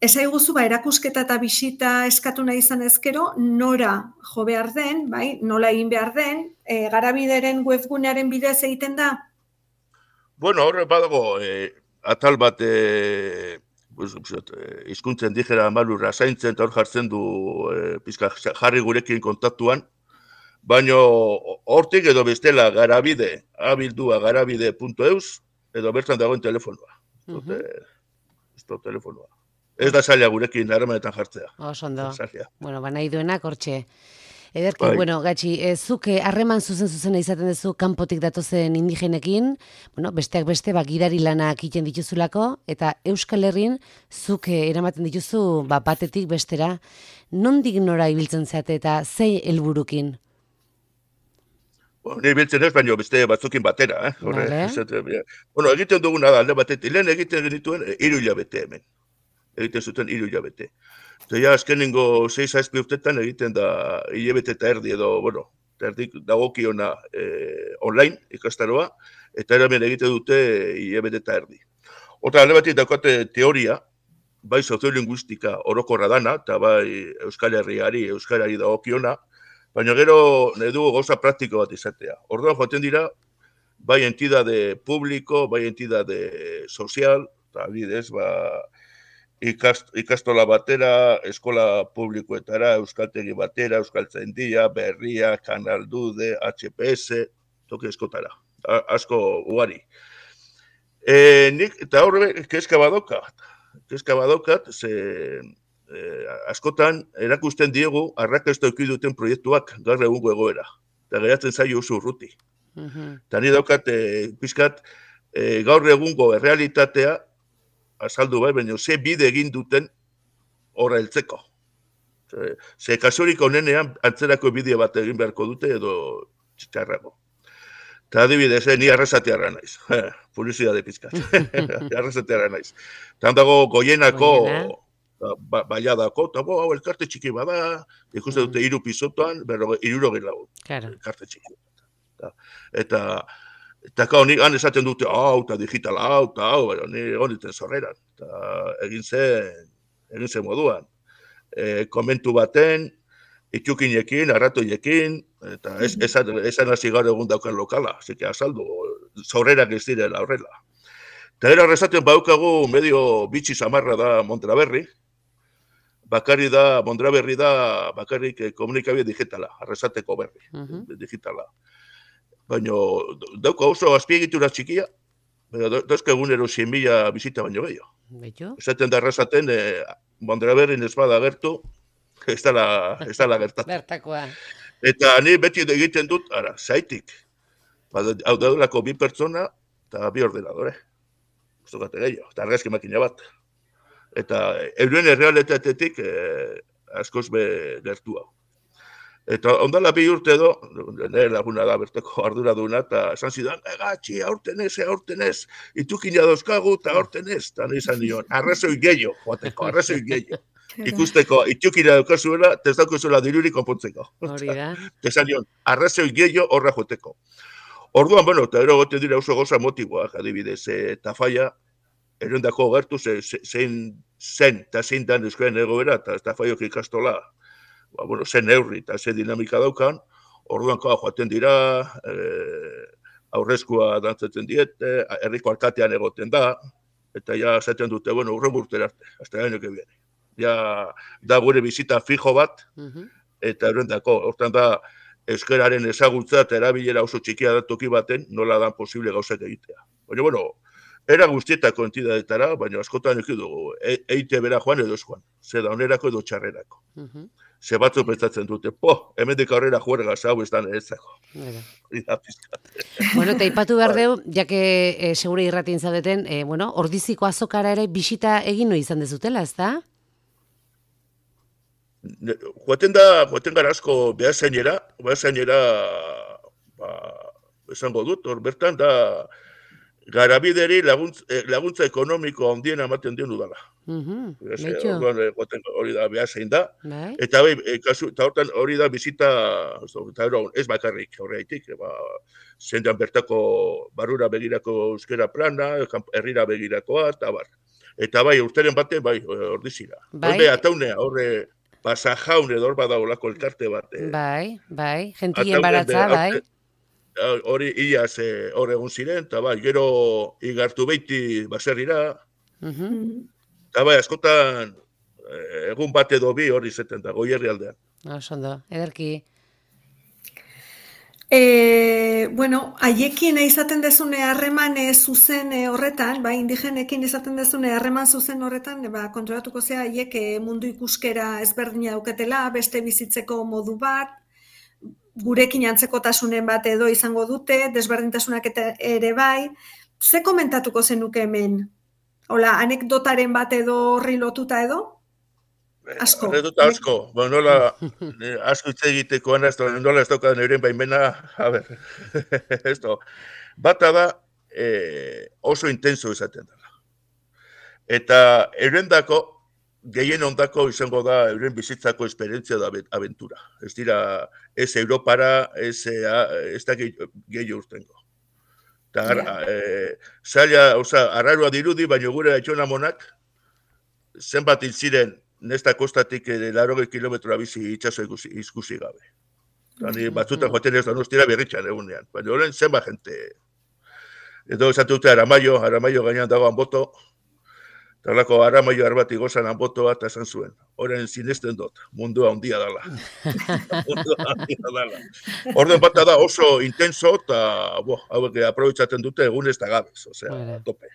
Esaiguzu, erakusketa eta bisita eskatu nahi izan ezkero, nora jo behar den, bai, nola egin behar den, Garabideren webgunearen bidez egiten da? Bueno, horre badago, atal bat hizkuntza indígena amalurra zaintzen, eta hor jartzen du pizka jarri gurekin kontaktuan, baina hortik edo bestela Garabide, abildua garabide.eus, edo bertan dagoen telefonoa. Ez da telefonoa. Ez da zaila gurekin harremanetan jartzea. Osondo. Bueno, nahi duenak hortxe. Ederki, bueno, Gatxi, zuk harreman zuzen izaten duzu kanpotik datozen indigenekin, bueno, besteak beste, gidari lanak egiten dituzulako, eta Euskal Herrin zuk eramaten dituzu batetik bestera, nondik nora ibiltzen zate eta zei helburukin? Ni biltzen ez, baina beste batzukin batera. Bueno, egiten duguna da, alde batetik, lehen egiten genituen 3 hilabete hemen. Egiten zuten 3 hilabete. Eta ja, azkenengo 6-7 urtetan egiten da hilabete eta erdi edo, bueno, erdik dagokiona online ikastaroa, eta eramen egiten dute hilabete eta erdi. Horta, alde batik daukate teoria, bai soziolinguistika orokorra dana, eta bai Euskal Herriari dagokiona, baina gero nahi dugu gauza praktiko bat izatea. Orduan joaten dira, bai entidade publiko, bai entidade sozial, eta bidez, ikastola batera, eskola publikoetara, euskaltegi batera, euskaltzaindia, berria, kanaldude, HPS, toki eskotara, asko ugari. Nik, eta horre, kezka badoka, kezka badaukat, askotan erakusten diegu arrakasta eduki duten proiektuak gaur egungo egoera. Eta geratzen zaio oso urruti. Eta ni daukat, pizkat, gaur egungo errealitatea azaldu bai, baina ze bide egin duten horra heltzeko. Ze kasurik onenean antzerako bideo bat egin beharko dute edo txarrago. Eta adibidez, ni arrasatearra naiz. Publizidade pizkat. Arrasatearra naiz. Eta dago Goienako baiadako, eta hau elkarte txiki bada, ikusten dute 3 pisotoan, 60 lagun. Elkarte txiki. Eta nik han esaten dute, eta digital eta ni egoniten zorreran. Eta egin zen moduan. Komentu baten, itxukinekin, arratoiekin, eta esan hasi gaur egun daukan lokala, zeke azaldu, zorrerak ez direla horrela. Eta era horrezaten baukagu medio bitxi samarra da Mondraberri, Mondraberri da bakarrik komunikabide digitala, arrezateko berri, digitala. Baina dauka oso azpiegitura txikia, dauzka egunero 100.000 bizita baino gehiago. Esaten da arrasaten, Mondraberrin ez bada gertu, ez dala gertatu. Bertakoa. Eta ni beti egiten dut, zaitik. Hau daudolako 2 pertsona eta 2 ordenadore. Zukate gehiago, eta argazki makina bat. Eta euren errealitatetik askoz gertu hau. Eta ondala 2 urte edo, nire laguna da berteko arduraduna, eta esan zidan, gatxi, aurten ez, itukina dauzkagu, eta aurten ez. Eta nizan nion, arrazoi gehiago, joateko, arrazoi gehiago. Ikusteko, itukina daukazuela, ez daukazuela dirurik konpontzeko. Hori da. Esan nion, arrazoi gehiago horra joateko. Orduan, eta ero gote dira oso goza motiboak, adibidez, eta faia, erondako gertu, zein eta zein dan euskaren egoera, eta Tafaiok ikastola, zen neurri eta ze dinamika daukan, orduan joaten dira, aurrezkoa dantzatzen diete, herriko alkatean egoten da, eta ja zaten dute, urren urtera arte, hasta el año que viene. Ja, da gure bizita fijo bat, eta erendako, hortan da, euskararen ezagutza eta erabilera oso txikia da toki baten, nola dan posible gauzak egitea. Baina, era guztietako entidadetara, baina askotan eki dugu, eite bera joan edo ez joan, ze da onerako edo txarrerako. Ze batzu pentsatzen dute, hemendik aurrera juerga hau ez da nerezako. Eta ipatu behar deu, jake segure irratin zaudeten, ordiziko azokara ere bisita egin no izan dezutela, ez da? Joaten gara asko behazainera, esango dut, hor bertan da, garabideri laguntza ekonomiko handien ematen dion udala. Hori da behazein da. Eta hortan hori da bizita, ez bakarrik horreitik, zendan bertako barrura begirako euskera plana, herrira begirakoa, eta bar. Eta urteren baten, ordizira. Horre ataunea, horre pasajaun edo hor badaulako elkarte bat. Gentien baratza, Hori iaz hor egun ziren, eta gero igartu beiti baserrira, eta askotan egun bat edo bi hori zeten da, Goierri aldean. Osondo, ederki. Haiekin izaten dezune harreman zuzen horretan, indigenekin izaten dezune harreman zuzen horretan, kontrolatuko zea haiek mundu ikuskera ezberdina daukatela, beste bizitzeko modu bat, gurekin antzekotasunen bat edo izango dute, desberdintasunak ere bai. Ze komentatuko zenuke hemen? Hola, anekdotaren bat edo horri lotuta edo? Asko. Anekdota asko. Nola, asko hitz egiteko, nola ez daukadan euren baimena, bata da oso intenso izaten dela. Eta eurendako, gehien ondako izango da euren bizitzako esperientzia da aventura. Ez dira, ez Europara, ez da gehi urtengo. Zaila, arrarua dirudi, baina gure etxonamonak, zenbat hil ziren nesta kostatik 80 kilometroa bizi itxaso ikusi gabe. Batzutan joaten ez Donostira berritxan egunean, baina horren zenbat jente. Edo esatute Aramaio gainean dago Anboto, Talako Aramaio arbati gozan Anboto bat esan zuen. Horren sinesten dut, mundua handia dala. Orden bat da oso intenso, eta hauek aprobetsaten dute egunez eta gabez, tope.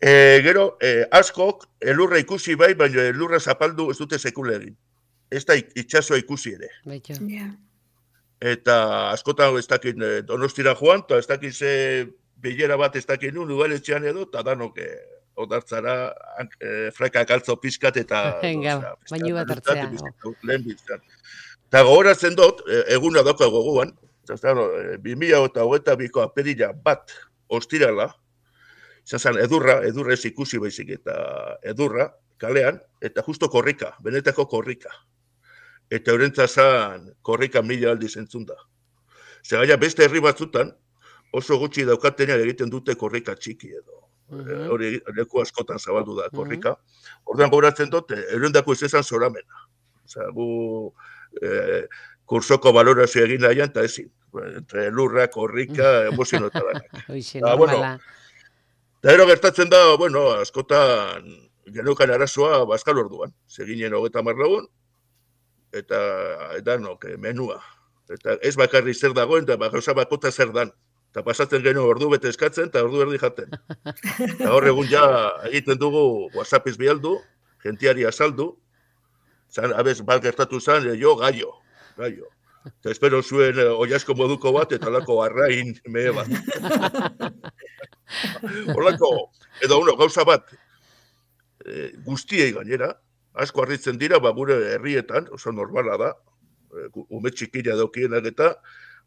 Gero, askok elurra ikusi bai, baina elurra zapaldu ez dute sekula egin. Ez da itxasoa ikusi ere. Betxo. Ja. Eta askotan ez dakin Donostira joan, eta ez dakin ze bilera bat ez dakin nun, udaletxean edo, eta danok odartzara frakak altzo pizkat eta... Venga, baino bat hartzea. Lehen biztan. Eta gogoratzen dut, eguna dauka gogoan, 2022ko apirila bat ostirala, izan edurra ez ikusi baizik eta edurra, kalean, eta justo korrika, benetako korrika. Eta horrentza zan korrika 1000 aldiz entzun da. Zegaia beste herri batzutan, oso gutxi daukatenean egiten dute korrika txiki edo. Hori leku askotan zabaldu da korrika. Orduan gogoratzen dut, erundako ez esan zoramena. Osea, gu kursoko balorazio egin nahian, eta ezin. Entre lurra, korrika, emozionotaranak. Hoxe, normala. Eta ero gertatzen da, askotan geneukan arazoa bazkal orduan. Zeginen 30 lagun, eta edanok, menua. Eta ez bakarri zer dagoen, eta gauza bakota zer dan. Eta pasatzen genuen ordu bete eskatzen, eta ordu erdi jaten. Eta hor egun ja egiten dugu WhatsAppiz bialdu, gentiari azaldu, zan, abez, bat gertatu zan, jo, gaio. Eta espero zuen oiasko moduko bat, eta lako arrain mehe bat. Horlako, edo gauza bat, guztiei gainera, asko harritzen dira, gure herrietan, oso normala da, ume txikila daukienak eta,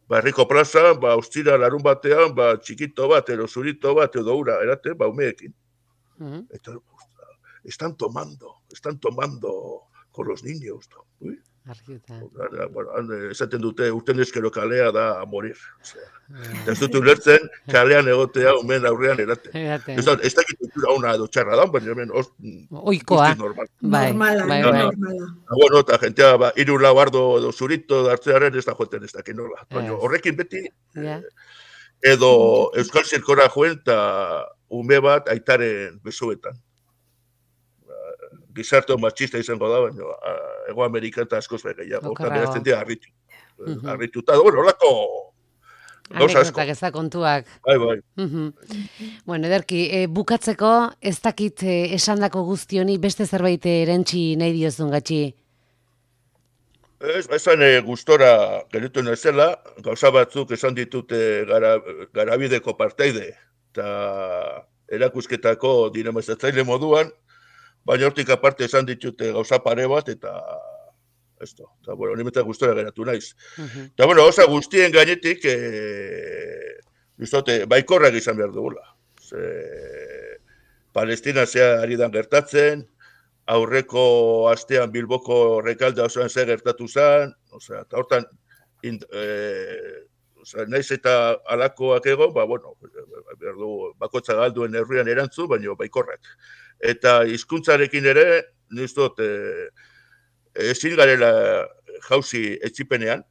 herriko plaza, ostira larun batean, txikito bat, edo zurito bat, edo ura, erate, umeekin. Eta, están tomando con los niños. Uy. Esaten dute, urten eskero kalea da a morir. Ez dut ulertzen, kalean egotea umen aurrean eraten. Ez dakit kultura ona edo txarra da, baina hemen oikoa. Normala. Bueno, eta jentea, 3 lau ardo edo zurito dartzearen ez da joeten ez dakit nola. Horrekin beti, edo Euskal Zirkora joen eta ume bat aitaren besoetan. Gizarte machista izango da, baina Ego Amerika eta askoz gehiago. Eta berazten dira harritu. Harrituta, horako gauza asko. Anekdotak ez da kontuak. Bai. Bueno, ederki, bukatzeko ez dakit esandako guztioni beste zerbait erantzi nahi diozun gatxi? Esan gustora gelitu nazela, gauza batzuk esan ditute garabideko parteide eta erakusketako dinamizatzaile moduan, baina hortik aparte esan ditute gauza pare bat, eta esto, eta nimetak gustora geratu naiz. Eta gauza guztien gainetik, baikorrak izan behar dugula. Palestina zea ari dan gertatzen, aurreko astean Bilboko Rekalde osoan ze gertatu zen, eta hortan, naiz eta alakoak egon, bakotza galduen herrian erantzu, baina baikorrak. Eta hizkuntzarekin ere, niztot, ezin garela jauzi etxipenean,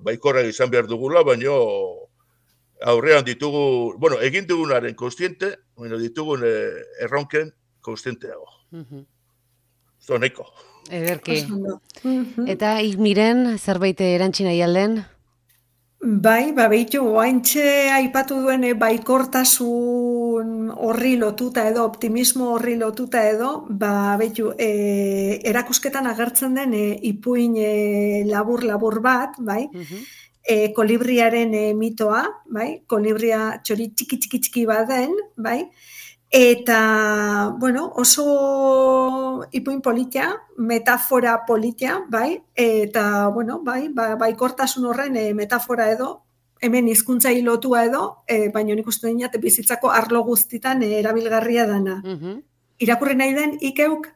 baikorrak izan behar dugula, baina aurrean ditugu, egin dugunaren konstiente, ditugun erronken konstienteago. Zo neko. Ederki. Eta Miren, zerbait erantzi nahi alden? Bai, behitu, oaintxe aipatu duen baikortasun horri lotuta edo, optimismo horri lotuta edo, behitu, erakusketan agertzen den ipuin labur bat, bai, kolibriaren mitoa, bai, kolibria txori txiki baden, bai, eta, oso ipuin politia, metafora politia, bai, eta, baikortasun horren metafora edo, hemen hizkuntza lotua edo, baina nik uste dinat bizitzako arlo guztitan erabilgarria dana. Irakurri nahi den, ikeuk?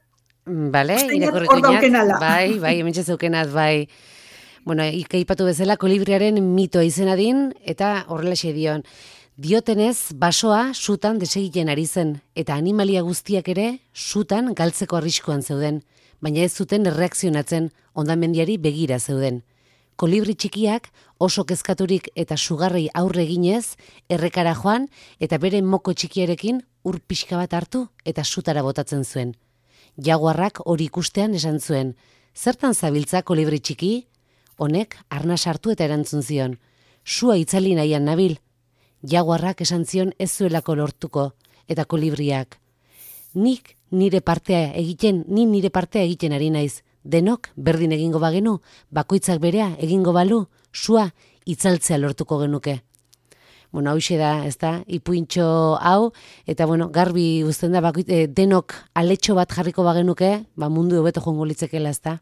Bale, irakurriko inat, bai, hemen txezeukenaz, bai. Ikaipatu bezala kolibriaren mitoa izenadin, eta horrelaxe dion. Diotenez, basoa sutan desegiten ari zen, eta animalia guztiak ere sutan galtzeko arriskuan zeuden, baina ez zuten erreakzionatzen, hondamendiari begira zeuden. Kolibri txikiak oso kezkaturik eta sugarrei aurre eginez, errekara joan eta bere moko txikiarekin ur pixka bat hartu eta sutara botatzen zuen. Jaguarrak hori ikustean esan zuen, zertan zabiltza kolibri txiki? Honek arnas hartu eta erantzun zion, sua itzali nahian nabil. Jaguarrak esan zion ez zuelako lortuko, eta kolibriak. Ni nire partea egiten ari naiz. Denok berdin egingo bagenu, bakoitzak berea egingo balu, sua itzaltzea lortuko genuke. Bueno, hauxe da, ez da, ipuintxo hau, eta garbi uzten da, denok aletxo bat jarriko bagenuke, mundu hobeto joango litzekela, ez da?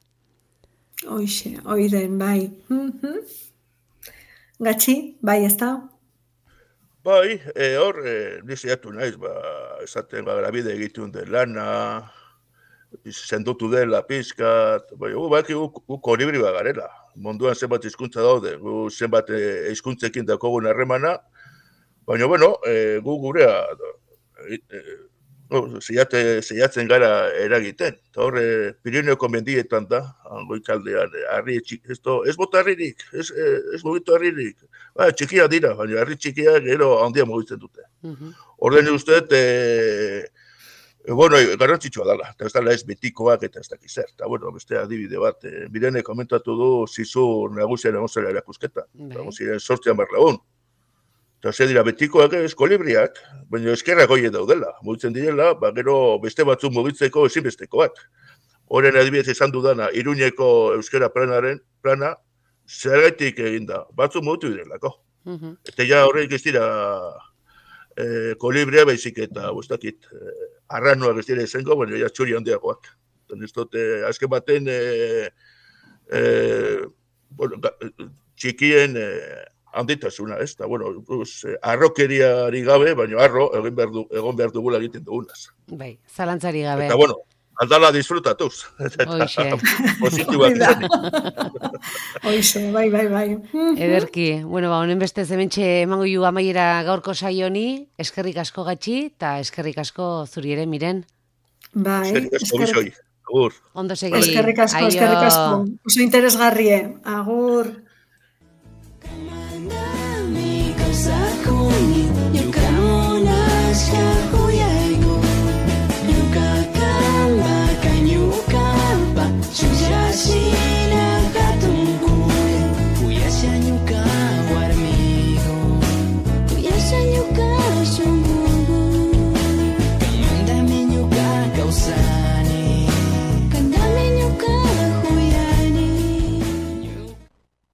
Hoixe, oiden, bai. Gatxi, bai, ez da? Bai, hor, niziatu naiz, esaten grabide egitun den lana, sendotu dela pizkat, gu kolibri garela. Munduan zenbat hizkuntza daude, gu zenbat hizkuntzekin dakogun harremana, baina, gu gurea zeiatzen gara eragiten. Eta hor, Pirineoko mendietan da, goikaldean, ez bota harririk, ez mugitu harririk. Txikia dira, baina harri txikia gero handia mugitzen dute. Orden usteet, garrantzitsua dela, eta ez dela ez betikoak eta ez dakiz zer. Eta, beste adibide bat, Birene komentatu du zizur nagusian egon zela erakusketa. Egon ziren 800. Eta ze dira betikoak ez kolibriak, baina eskerrak hoie daudela. Mugitzen direla, gero beste batzuk mugitzeko ezinbestekoak. Horren adibidez esan dudana, Iruñeko euskera plana, zergaitik eginda, batzuk mugitu direlako. Eta ja horreik ez dira kolibria baizik eta, arranuak ez dira izango, baina ja txuri handiagoak. Ez dute, azken baten, txikien handitasuna, ez? Arrokeriari gabe, baina egon behar dugula egiten dugunaz. Bai, zalantzari gabe. Eta, aldala disfrutatuz. Hoixe. Positiboak izanik. Hoixe, bai. Ederki, honen beste zementxe emango ju amaiera gaurko saioni, eskerrik asko Gatxi, eta eskerrik asko zuri ere, Miren. Bai. Eskerrik asko bizoi. Agur. Ondo segi. Eskerrik asko. Oso interesgarrie. Agur.